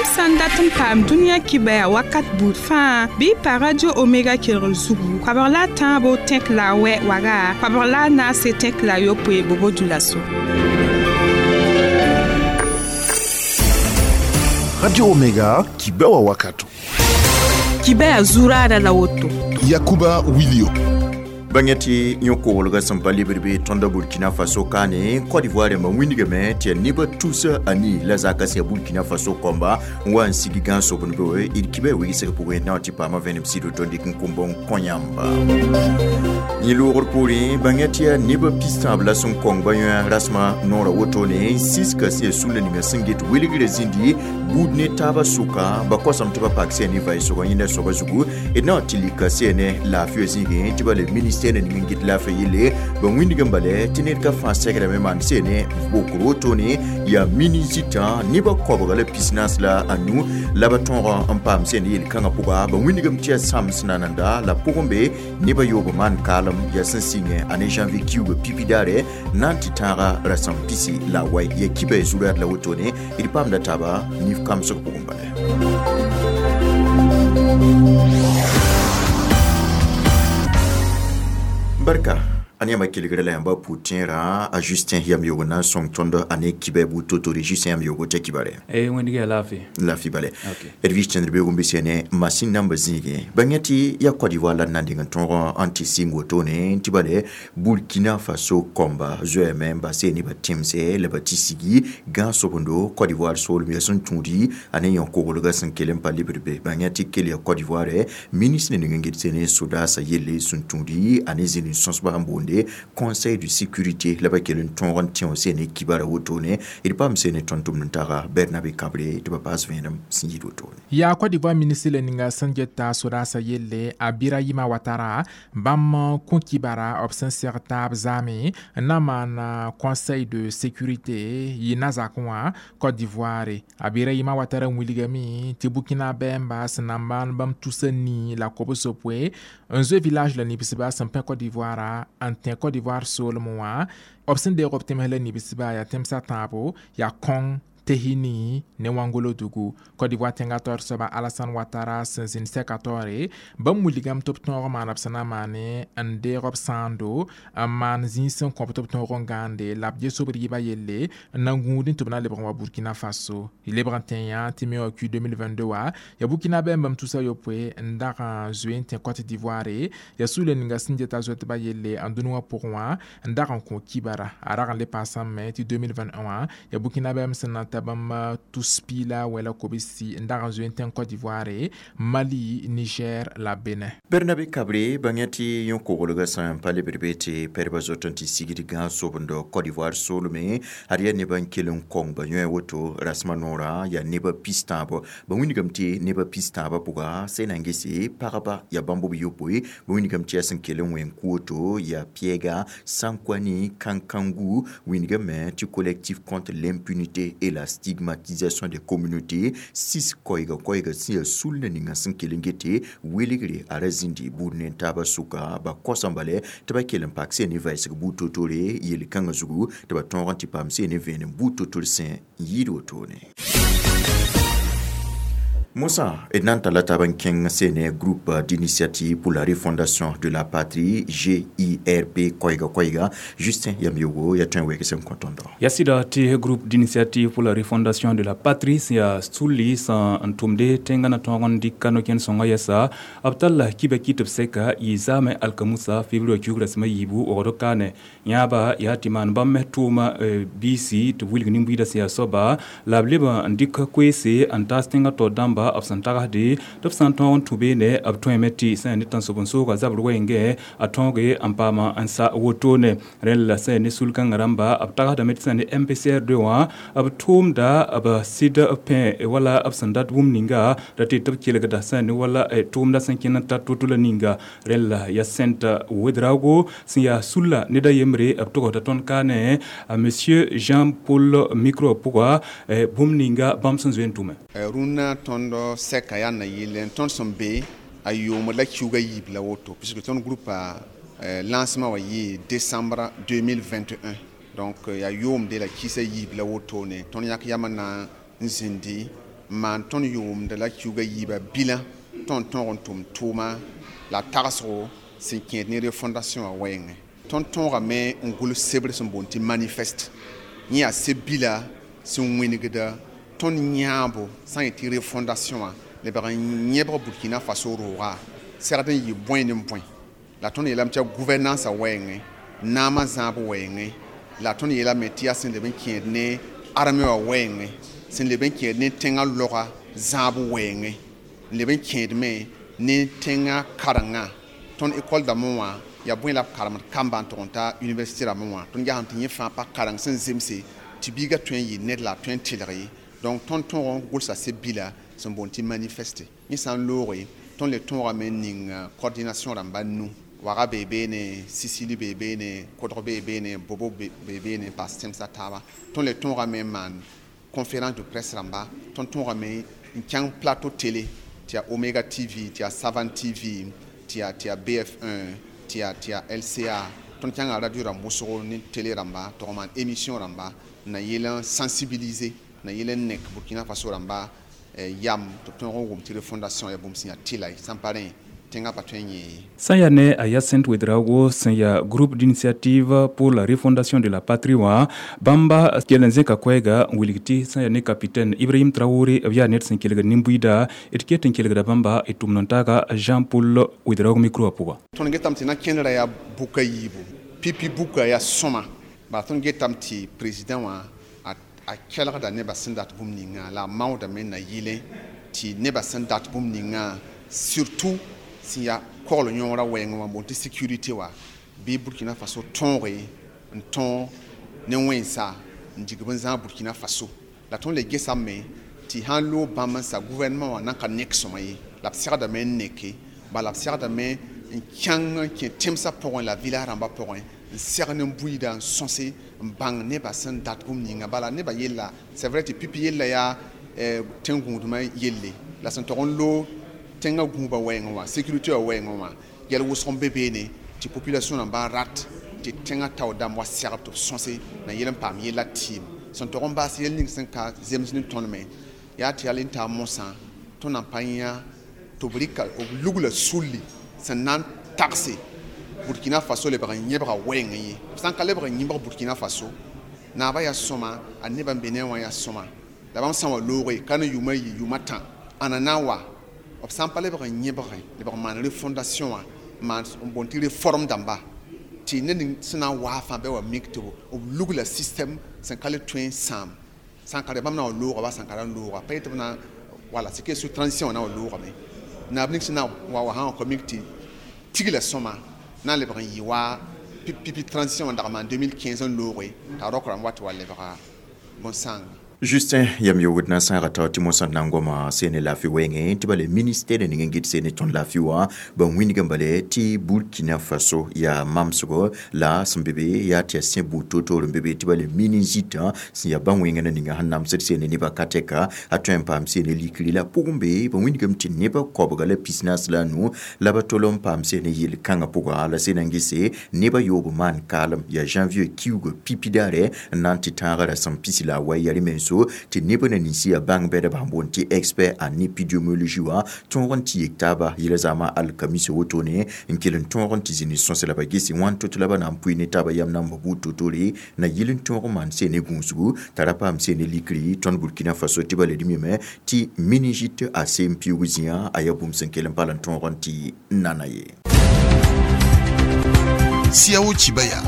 Yãmb sã n dat n paam dũniyã kibɛa wakat buud fãa, bɩ y pa Radio Omega kelgr zugu, 13 tẽk la a wɛ waga, 14 tẽk la yopoe Bobo Dioulasso. Radio Omega, kibɛwa wakato. Kibɛa zuraada la woto. Yakuba Wilio. Bãng tɩ yõ-koglgã sẽn pa lebd be tõnda Burkina Faso kaane, Côte d'Ivoire rãmbã wĩndgame tɩ yaa nebã 300 la zaka sẽn yaa Burkina Faso kõmba n wa n sig gãan-sobendo. D kibã wigsg pʋgẽ na tɩ paama vẽenem sɩd tõnd dɩk n kʋmb n kõ yãmba. Yẽ loogr poorẽ, bãng tɩ yaa nebã 15 la sẽn kõng ba yõ rasmã noorã wotone, siska sẽn yaa sũla ninga sẽn get welgrã zĩndi buud ne taabã sʋka ba kosame tɩ ba pak sẽn ne vaɩsgã yẽnda soabã zugu. D na tɩ lika sẽn ne laafɩ zĩigẽ tɩ ba le ministère ning n get laafɩ yelle ba wĩndg n bale tɩ ned ka fãa segrame maan sẽn ne bokr wotone. Yaa minizitã nebã 95 la ba tõog n paam sẽn yel-kãngã pʋga. Ba wĩndgame tɩ yaa sãms nananda la pʋgẽ be nebã yoob maan kaalem yaa sẽn sɩngẽ a ne janvier kiuugã pipi daare na n tɩ tãaga rasam 18. Ya kibã zurad la wotone, d paamda taaba nif kamsg pʋgẽ bale. Barka a yãmba kelgre la yãmba pʋ-tẽerã a Justin yam yogo na n sõng tõnd a ne kibɛ bu to-tore. Justin yam yogo t'a kibare. Eh, wẽndg yaa laafɩ. Laafɩ bale. D vɩs tẽndr beoog n bɩ ne masin nambã zĩigẽ. Bãng tɩ yaa Côte d'Ivoire la d na n deng n tõog n tɩ sɩng wotone tɩ bale Burkina Faso kõmba zoeeme n base ne ba tẽmsɛ la ba tɩ sigi gãag-sobendo Côte d'Ivoire soolem yaa sẽn tũudi a ne yõ-koglgã sẽn kell n pa lebd be. Bãng tɩ kell yaa Côte d'Ivoire ministre ning n get sene sodaasã yelle sẽn tũudi a ne zĩnd n sõsba n boonde Conseil de sécurité la ba kell n tõog n tẽ sene kibara wotone. D paam sene tõnd tʋmd n taga Bernabe Kabre tɩ ba paas vẽenem sẽn yit wotone. Yaa Côte d'Ivoire ministre la ninga sẽn geta sodaasã yelle a Birahima Ouattara bãmb kõ kibara b sẽn seg taab zaame n na maan Conseil de sécurité yɩ na zakẽ wã Côte d'Ivoire. A Birahima Ouattara wilgame tɩ Burkina bɛɛmba sẽn na n maan bãmb 270 n zoe village la nibsba sẽn pẽ Côte d'Ivoire n tẽ Côte d'Ivoire soolem wã. B sẽn deeg b tẽms la nibsba yaa tẽmsã tãabo yaa kõng Tehini ne Wangolo dugu. Côte d'Ivoire tẽngã taoor soaba Alassane Ouattara sẽn zĩnd sɛka taoore, bãmb wilgame tɩ b tõog maana b sẽn na n maane n deeg b sãando n maan zĩig sẽn kõb tɩ b tõog n gãande la b ges b rɩɩbã yelle n na n gũudẽ tɩ b na lebg n wa Burkina Faso. Y lebg n tẽ yã tɩ me wã Q 2022 wã yaa Burkina bɛɛm bãmb 300 n dag n zoe n tẽ Côte d'Ivoire. Yaa sũla ninga sẽn geta zoetbã yelle n dũni wã pʋgẽ wã n dag n kõ kibara a rag n le paasame tɩ 2021 wã yaa Burkina bɛɛm sẽn na n ta bãmb tus pila wala kobsi n dag n zoe n tẽ Côte d'Ivoire, Mali, Niger la Benin. Bernabe Kabre, bãng tɩ yõ-koglgã sẽn pa lebd be tɩ pɛdbã zot n tɩ sigd gãag-sobendo Côte d'Ivoire soolme ad yaa nebã n kell n kong ba yõe woto rasmã noorã yaa nebã 13. Ba wĩndgame tɩ nebã 13 pʋga sẽn na n gese pagba yaa bãmb b yopoe. Ba wĩndgame tɩ yaa sẽn kell n wẽ n kʋ woto yaa Piɛɛga Sankwani Kankangu. Wĩndgame tɩ Collectif contre l'impunité et la stigmatisation des communautés sis koɛɛga koɛɛga sẽn yaa sul ninga sẽn kell n gete welgre a ra zĩndi buud ne taabã sʋka ba kosã bale tɩ ba kell n pak sẽn ne vɩsg buud to-tore yel-kãngã zugu tɩ ba tõog n tɩ paam sẽn ne vẽenem buud to-tor sẽn n yɩɩd wotone. Moussa, d na n talla taab n kẽng sene Groupe d'initiative pour la refondation de la patrie, GIRP koɛɛga koɛɛga. Justin yam yogo yaa tõe n wɛg sẽn kõ tõndo. Ya sɩda tɩ Groupe d'initiative pour la refondation de la patrie sẽn yaa sulli sẽn n tʋmde tẽngã na tõog n dɩk no-kẽnd sõngã yɛsa, b talla kibã kɩ tɩ b sɛka yɩ zaamẽ alkamusa février kiuug rasem a yiibu waoogd kaane. Yãaba yaa tɩ maan bãmb me tʋʋma biisi tɩ b wilg nin-buiidã sẽn yaa soaba la b leb n dɩk koeese n taas tẽngã taoor dãmba b sẽn tagsde tɩ b sã n tõog n tũ beene b tõeme tɩ sẽn yaa ne tãnsoben-soogã zabr wɛɛngẽ a tõoge n paama n sa wotone. Rẽnd la sẽn yaa ne sul-kãngã rãmba b tagsdame tɩ sẽn yaa ne MPCR2 wã b tʋʋmda b sɩd pẽ wala b sẽn dat bũmb ninga ra tɩ tɩ b kelgda sẽn yaa ne wala tʋʋmda sẽn kẽnd n tar to-to la ninga. Rẽnd la yaa Sẽnt Ouedraogo sẽn yaa sulla ned a yembre b togsda tõnd kaane a monsieur Jean-Paul micro pʋga bũmb ninga bãmb sẽn zoe n tʋme. Rũnnã tõnd sɛka yaa na yɩl n tõnd sẽn be a yoomd la kiuugã yiib la woto, puisque tõnd groupe a lancement wa yɩ décembre 2021, donc yaa yoomde la kɩsa yiib la wotone. Tõnd yãk yam n na n zĩndi Maan tõnd yʋʋmda la kiuga yiibã bilã tõnd tõog n tʋm tʋʋma la tagsgo sẽn kẽed ne refondation wã wɛɛngẽ. Tõnd tõogame n gʋls sebr sẽn boond tɩ manifeste. Yẽ yaa seb-bila sẽn wĩnigda tõnd yãabo sã n yet tɩ refondation wã lebg n yẽbg Burkina Faso rooga segd n yɩ bõe ne bõe. La tõnd yeelame tɩ yaa gouvernance wɛɛngẽ, naamã zãab wɛɛngẽ, la tõnd yeelame tɩ yaa sẽn leb n kẽed ne armée wã wɛɛngẽ, sẽn leb n kẽed ne tẽngã loga zãab wɛɛngẽ, n leb n kẽedme ne tẽngã karengã. Tõnd école dãmbẽ wã yaa bõe la b karemd kamba n tʋg n ta université rãmbẽ wã. Tõnd gesame tɩ yẽ fãa pa kareng sẽn zemse tɩ biigã tõe n yɩ ned la a tõe n tɩlg ye. Donc tõnd tõog n gʋlsa seb-bila sẽn boond tɩ manifeste. Yẽ sã n looge tõnd le tõogame n ning coordination rãmba nu. Waga bee beene, Sisili bee beene, Kodg bee beene, Bobo bee beene, paas tẽmsã taaba. Tõnd le tõogame n maan conférence de presse rãmba. Tõnd tõogame n kẽng plateau télé tɩ yaa Omega TV, tɩ yaa Savan TV, tɩ yaa BF1, tɩ yaa LCA. Tõnd kẽnga radio rãmb wʋsgo ne télé rãmba tɩ maan émission rãmba n na yeel n sensibiliser, na yeel n nek Burkina Faso rãmba yam tɩ b tõog n wʋm tɩ refondation yaa bũmb sẽn yaa tɩla ye, sã n pa rẽ tẽngã pa tõe n yẽ ye. Sã n yaa ne a Hyacinthe Ouedraogo sẽn yaa groupe d'initiative pour la refondation de la patrie wã, bãmba kell n zẽka koɛɛga n wilg tɩ sã n yaa ne capitaine Ibrahim Traoré b yaa ned sẽn kelgd nin-buiida d ket n kelgda bãmba d tʋmd n taaga Jean-Paul Ouedraogo micro wã pʋga. Tõnd getame tɩ na kẽndrã yaa buka yiibu, pipi buka yaa sõma. Bala tõnd getame tɩ président wã a kelgda nebã sẽn dat bũmb ninga la a maoodame n na yɩle tɩ nebã sẽn dat bũmb ninga surtout sẽn yaa kogl yõorã wɛɛngẽ wã boond tɩ sécurité wã bɩ Burkina Faso tõoge n tõog ne wẽnsa n dig b n zãag Burkina Faso. La tõnd le gesame tɩ sãn loog bãmb n sa gouvernement wã nan ka nek sõma ye, la b segdame n neke, bala b segdame n kẽng n kẽ tẽmsã pʋgẽ la village rãmbã pʋgẽ n seg ne buiida n sõse n bãng nebã sẽn dat bũmb ninga. Bala nebã yella, c'est vrai tɩ pipi yella yaa tẽn-gũudmã yelle la sẽn tog n loog tẽngã gũubã wɛɛngẽ wã, sécurité wã wɛɛngẽ wã, yɛl wʋsg n be beene tɩ population rãmbã rat tɩ tẽngã tao dãmb wa segb tɩ b sõse na yel n paam yella tɩɩm. Sẽn tog n baas yel ning sẽn ka zems ne tõnd me yaa tɩ yal n taa mosã tõnd na n pa yã tɩ b rɩka b lugla sulli sẽn na n tagse Burkina Faso lebg n yẽbga wɛɛngẽ ye. B sã n ka lebg n yẽbg Burkina Faso, naabã yaa sõma, a nebã n be ne wã yaa sõma. La bãmb sã n wa looge ka ne yʋʋma yi, yʋʋma tã, ãna na n wa b sã n pa lebg n yẽbgẽ, lebg n maan refondation wã, maan n boond tɩ réforme dãmba tɩ ned ning sẽn na n waa fãa bɩ wa mik tɩ b lugla système sẽn ka le tõe n sãam. Sã n ka rẽ bãmb na n wa looga wa sã n ka ra n looga pa yetɩ b na wala c'est que sous transition wã na n wa loogame. Naab ning sẽn na wa wa sã n wa ka mik tɩ tigla sõma na n lebg n yɩ wa pipi transition wã n dag n maan 2015 n looge t'a rok rãmb wa tɩ wa lebga bõn-sãanga. Justin yam yogd na sãaga tao tɩ mosã na n goma sene laafɩ wɛɛngẽ tɩ bale ministère ning n gɩd sene tõnd laafɩ wã ba wĩnigã bale tɩ Burkina Faso yaa mamsgo la sẽn be be yaa tɩ yaa sẽ buud toor-toor n be be tɩ bale méningite sẽn yaa bã-wẽngã na ninga sẽn namsd sene nebã ka tɛka a tõe n paam sene likri la pʋgẽ be ba wĩnigame tɩ nebã koabga la 45 la ba tol n paam sene yel-kãngã pʋga la sena n gese nebã yoob maan kaalem yaa janvier kiuugã pipi daare n na n tɩ tãagã rasem pisi la a wa yaa rẽ so tɩ neb na ninsi yaa bãng bɛdba sẽn boond tɩ expert en épidémiologie wã tõog n tɩ yek taaba yɛla zaamã alkamisa wotone n kell n tõog n tɩ zĩni sõs la ba gese wãn to-to la ba na n pʋɩ ne taaba yam namba buud to-tore na yɩl n tõog n maan sene gũusgu t'a ra paam sene likri tõnd Burkina Faso tɩ ba le d mime tɩ méningite a sem piʋʋg zĩã a yaa bũmb sẽn kell n pal n tõog n tɩ nana ye. Siao Chibaya.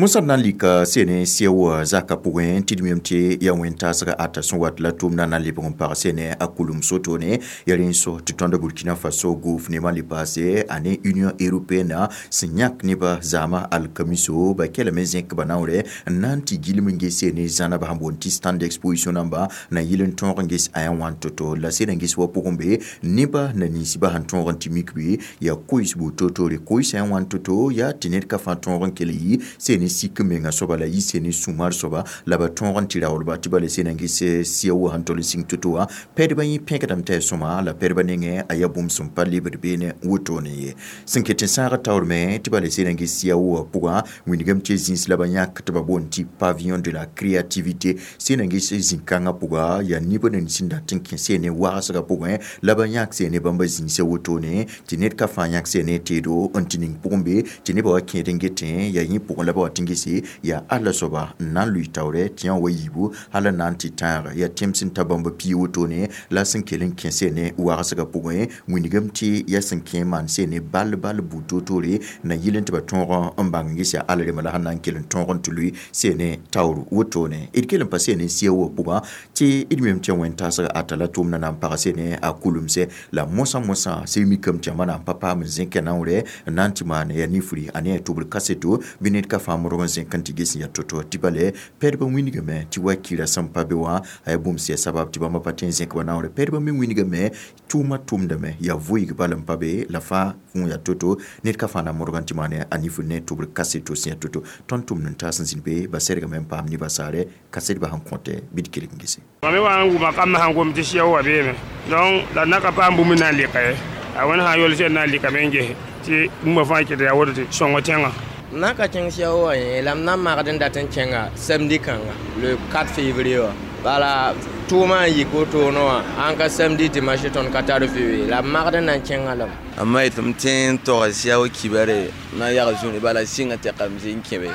Mosã na n lika sene sɛoa zaka pʋgẽ tɩ d mem tɩ yaa wẽn-taasga ata sẽn wat la tʋʋmdã na n lebg n pag sene a kulum sotone ya rẽ n so tɩ tõnd Burkina Faso gouvernement le paase a ne Union européenne sẽn yãk nebã zaamã alkamiso ba kelame zẽk ba naoore n na n tɩ gilem n ges sene zãnaba sẽn boond tɩ stand d'exposition namba na yɩl n tõog n ges a yã wãn to-to la sed n ges wa pʋgẽ be nebã na ninsbã sẽn tõog n tɩ mik be yaa koees buud toor-toore koees a yã wãn to-to yaa tɩ ned ka fãa tõog n kell yi sene sik menga soaba la yɩ sene sũ-mar soaba la ba tõog n tɩ raoolba tɩ ba le sena n ges sia wa sẽn tol n sĩng to-to wã pɛdbã yẽ pẽkdame t'a yaa sõma la pɛdbã nengẽ a yaa bũmb sẽn pa lebd beene wotone ye sẽn ket n sãag taoor me tɩ ba le sena n ges sia wã pʋgã wĩndgame tɩ zĩis la ba yãk tɩ ba boond tɩ pavillon de la créativité sena n ges zĩ-kãngã pʋga yaa neb nin sẽn dat n kẽ sene wagsgã pʋgẽ la ba yãk sene bãmba zĩisã wotone tɩ ned ka fãa yãk sene teedo n tɩ ning pʋgẽ be tɩ nebã wa kẽed n getẽ yaa yẽ pʋgẽ la ba wa tɩ n gese yaa alla soaba n na n lʋɩ taoorɛ tɩ yã wa yiibu hal n na n tɩ tãag yaa tẽm sẽn ta bãmba pii wotone la sẽn kell n kẽ sene wagsgã pʋgẽ wĩndgame tɩ yaa sẽn kẽ maan sene bal bal buud toor-toore na yɩl n tɩ ba tõog n bãng n ges yaa alla rema la sẽn na n kell n tõog n tɩ lʋɩ sene taoor wotone d kell n pa sene sia wã pʋgã tɩ d mem tɩ wẽn-taasg ata la tʋʋmdã na n pag sene a kulemsɛ la mosã mosã sẽn mikame tɩ yãmba na n pa paam n zẽk naoorɛ n na n tɩ maan yaa nifri a ne yaa tʋbr kaseto bɩ ned ka fãa modg n zẽk n tɩ ges n yaa to-to tɩ bale pɛdbã wĩndgame tɩ wa kɩra sẽn pa be wã a yaa bũmb sẽn yaa sabab tɩ bãmba pa tõe n zẽk ba naoorɛ pɛdbã me wĩndgame tʋʋmã tʋmdame yaa voɩg bal n pa be la fãa n yaa to-to ned ka fãa na modg n tɩ maan a nifr ne tʋbr kaseto sẽn yaa to-to tõnd tʋmd n taas n zĩnd be ba sɛrgame n paam nebã saarɛ kasetbã sẽn kõtɛ bɩ d kelg n gese mam me wa n wʋma kamb sãn gom tɩ sɩa wa beeme donc la na ka paam bũmb na n lɩka ye a wẽnd sã n yol sẽn na n lɩkame n ges tɩ bũmba fãa kɩt yaa woto tɩ sõngo tẽngã na ka kẽng sia wa yẽ la m na n magd n dat n kẽnga samedi kãnga le 4 février wã bala tʋʋmã n yik wotone wã ãn ka samedi dimanche tõnd ka tar vɩ la m magd n na n kẽngã lame amma tɩ m tẽ n tɔga sia wa kibare na n yag zũni bala sɩnga tɛkame zĩ n kẽbe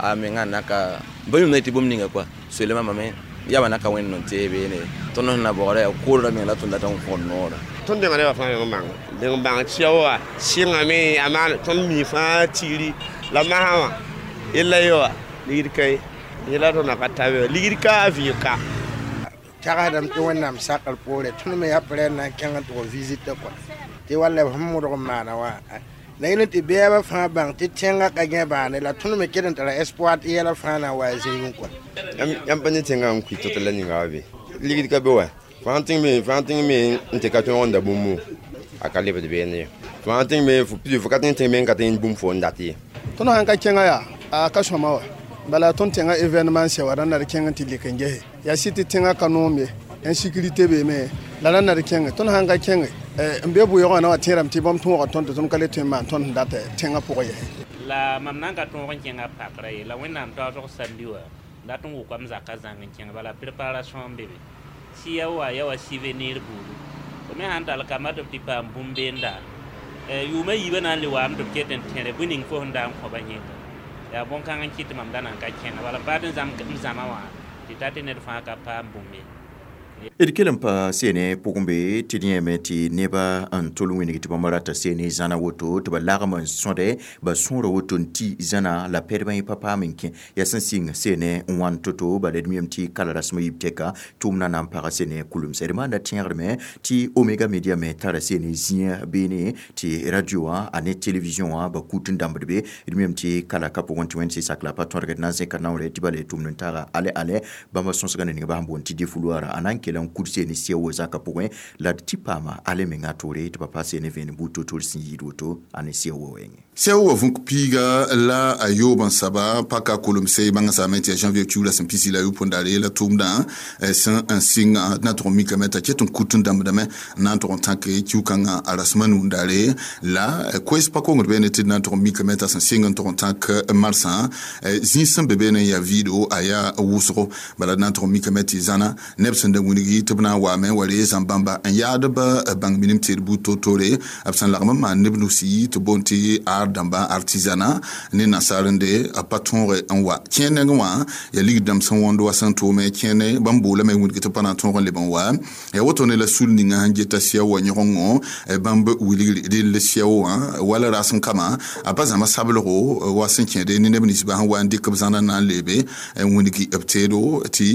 a mengã naka ba yũmda tɩ bũmb ninga kɔa soleema mame yaba naka wẽnd n tee beene tõnd sẽn na bɔgda yaa koodra meng la tõnd dat n kõd noora tõnd denga nebã fãa meng n bãng deng bãng sia wa sɩngame a maan tõnd mi fãa tigri la masã wã yella ye wa ligd ka ye yela tõnd na ka tabe ligd ka a vɩɩg ka tagsdame tɩ wẽnnaam sakr poore tõnd me yaa prɛ n na n kẽng n tʋg visite kɔa tɩ walla b sẽn modg n maana wã la yẽl tɩ bɛɛbã fãa bãng tɩ tẽngã ka gẽ bãane la tõnd me ket n tara espoir tɩ yɛla fãa na n wa a zĩigẽ kɔa yãmb pa ne tẽngã n kʋɩ tɩ la ninga wa be ligd ka be wa fãa tẽng me n tɩ ka tõog n da bũmbu a ka lebd beene ye fãa tẽng me fo ka tẽng me n ka tẽng bũmb fo n dat ye tõnd sãn ka kẽngã yaa a ka sõma wa bala tõnd tẽngã événement sɛ wa rãnd d kẽng n tɩ lek n gese yaa sɩ tɩ tẽngã ka noom ye insécurité beeme la rãnd d kẽnge tõnd sãn ka kẽnge n be bʋɩɩgã na wa tẽerame tɩ bãmb tõoga tõnd tɩ tõnd ka le tõe n maan tõnd sẽn dat tẽngã pʋgẽ yɛsɛ la mam na n ka tõog n kẽngã pakra ye la wẽnnaam taoosg samdi wã dat n wʋkame zakã zãng n kẽng bala préparation n be be sɩya wa ya wa souvenir buudu fo me sãn tall kamba tɩ b tɩ paam bũmb beenda yʋʋmã yiibã na n le waame tɩ b ket n tẽre bõe ning fo sẽn da n kõba yẽnga yaa bõn-kãng n kɩt tɩ mam da na n ka kẽnga bala m paat n zãma wã tɩ ta tɩ ned fãa ka paam bũmb ye d kell n pa sene pʋgẽ be tɩ d yẽeme tɩ nebã n tol wĩneg tɩ bãmba rata sene zãna woto tɩ ba lagm n sõde ba sõora woto n tɩ zãna la pɛdbã yẽ pa paam n kẽ yaa sẽn sɩng sene n wãn to-to bala d miame tɩ kala rasmã yib tɛka tʋʋmdã na n paga sene kulemsɛ d maanda tẽegdme tɩ omega media me tara sene zĩa beene tɩ radio wã a ne télévision wã ba kut n dãmbd be d miame tɩ kala ka pʋgẽ tɩ wẽnd sɩ sak la pa tõdgd na n zẽka naoorɛ tɩ bala tʋʋmd n taaga ale ale bãmba sõsgã ne ninga bas n boond tɩ défouloir a na n kell n kud sene sia wo zaka pʋgẽ la d tɩ paama ale menga toore tɩ pa pa sene vẽenem buud to-toor sẽn yɩɩd woto a ne sia wo wɛɛngẽ sia wa vũk piiga la a yoob n saba paka kulemse bãngã saame tɩ yaa janvier kiuula sẽn pisi la yʋ daare la tʋʋmdã sẽn n sɩng na tʋg n mikame t'a ket n kut n dãmbdame n na n tʋg n tãk kiu-kãngã a rasmã nuu daare la koɛs pa kongd beene tɩ d na n tʋg n mikame t'a sẽn sɩng n tʋg n tãk marsã zĩig sẽn be beene n yaa vɩɩdo a yaa wʋsgo bala d na n tʋg n mikame tɩ zãna neb sẽn da wĩngi tɩ b na n waame wa ree zãm-bãmba n yaad b bãng minim tɩ d buud to-toore b sẽn lagm n maan neb nusi tɩ boond tɩ ar dãmba artisanat ne nasaarende a pa tõoge n wa kẽer nengẽ wã yaa ligd dãmb sẽn wõnd wa sẽn tʋʋme kẽene bãmb boolame wĩndg tɩ pa na n tõog n leb n wa yaa woto ne la sul ninga sẽn geta sia wa yõgengo bãmb wilgr rell sia wã wala rasem kama a pa zãma sablgo wa sẽn kẽede ne neb ninsbã sẽn wa n dɩk b zãna n na n leebe n wĩndgi b teedo tɩ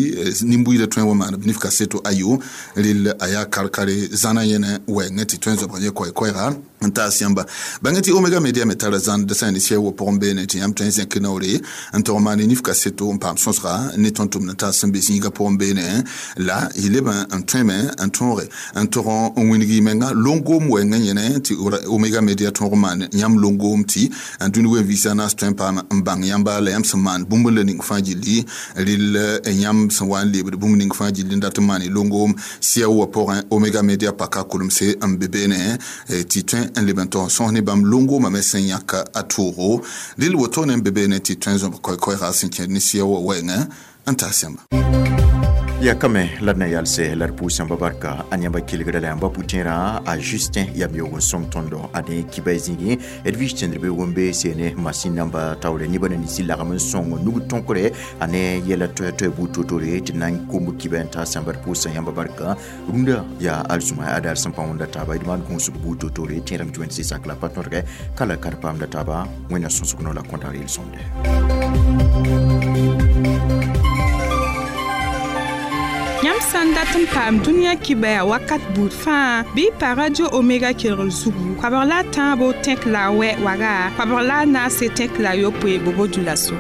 nin-buiidã tõe n wa maan b nif kaseto. kaseto ayo rɩl a yaa kar-kare zãna yẽne wɛɛngẽ tɩ tõe n zobg yẽ koɛ-koɛɛga n taas yãmba. Bãng tɩ Omega Media me tara zãnd sã ne sɛ wo pʋgẽ beene tɩ yãmb tõe n zẽk naoore n tog maane nif kaseto n paam sõsga ne tõnd tʋmd n taas sẽn be zĩigã pʋgẽ beene la y leb n tõeme n tõoge n tog n wĩng y menga longoom wɛɛngã yẽne tɩ Omega Media tõog n maan yãmb longoom tɩ dũni wen-vɩɩsã naas tõe n paam n bãng yãmba la yãmb sẽn maan bũmb la ning fãa gilli rɩl yãmb sẽn wa n lebd bũmb ning fãa gilli n dat n maan y longoom sɩa wã pʋgẽ Omega Media paka kulemse n be beene tɩ tõe n leb n tog n sõs ne bãmb longoomã me sẽn yãk a toogo rɩl wotone n be beene tɩ tõe n zõb koɛ-koɛɛga sẽn kẽed ne sɩa wã wɛɛngẽ n taas yãmba. Ya kame la d na yalse la d pʋʋs yãmba barka a yãmba kelgda la yãmba pʋtẽerã a Justin yam yoog n sõng tõndo a ne kiba zĩigẽ d vɩs tẽndr be wʋmbe seene masin namba taoore nebã na ninsi lagm n sõng nug tõkre a ne yɛla toɛ-toɛ buud to-tore tɩ na n komb kiba n taas yãmba d pʋʋsã yãmba barka rũndã yaa alzũma adaar sẽn pa wõnda taaba d maan gũusg buud to-tore tẽedame tɩ wẽnd sɩ sak la pa tõdgɛ ka la ka d paamda taaba wẽnna sõsg no la kõta reel sõmde. Yãmb sã n dat n paam dũniyã kibaya wakat buud fãa bɩ y pa Radio Omega kelgr zugu koabg la a tãabo tẽk la a wɛ waga koabg la a naase tẽk la a yopoe bobo dulaso.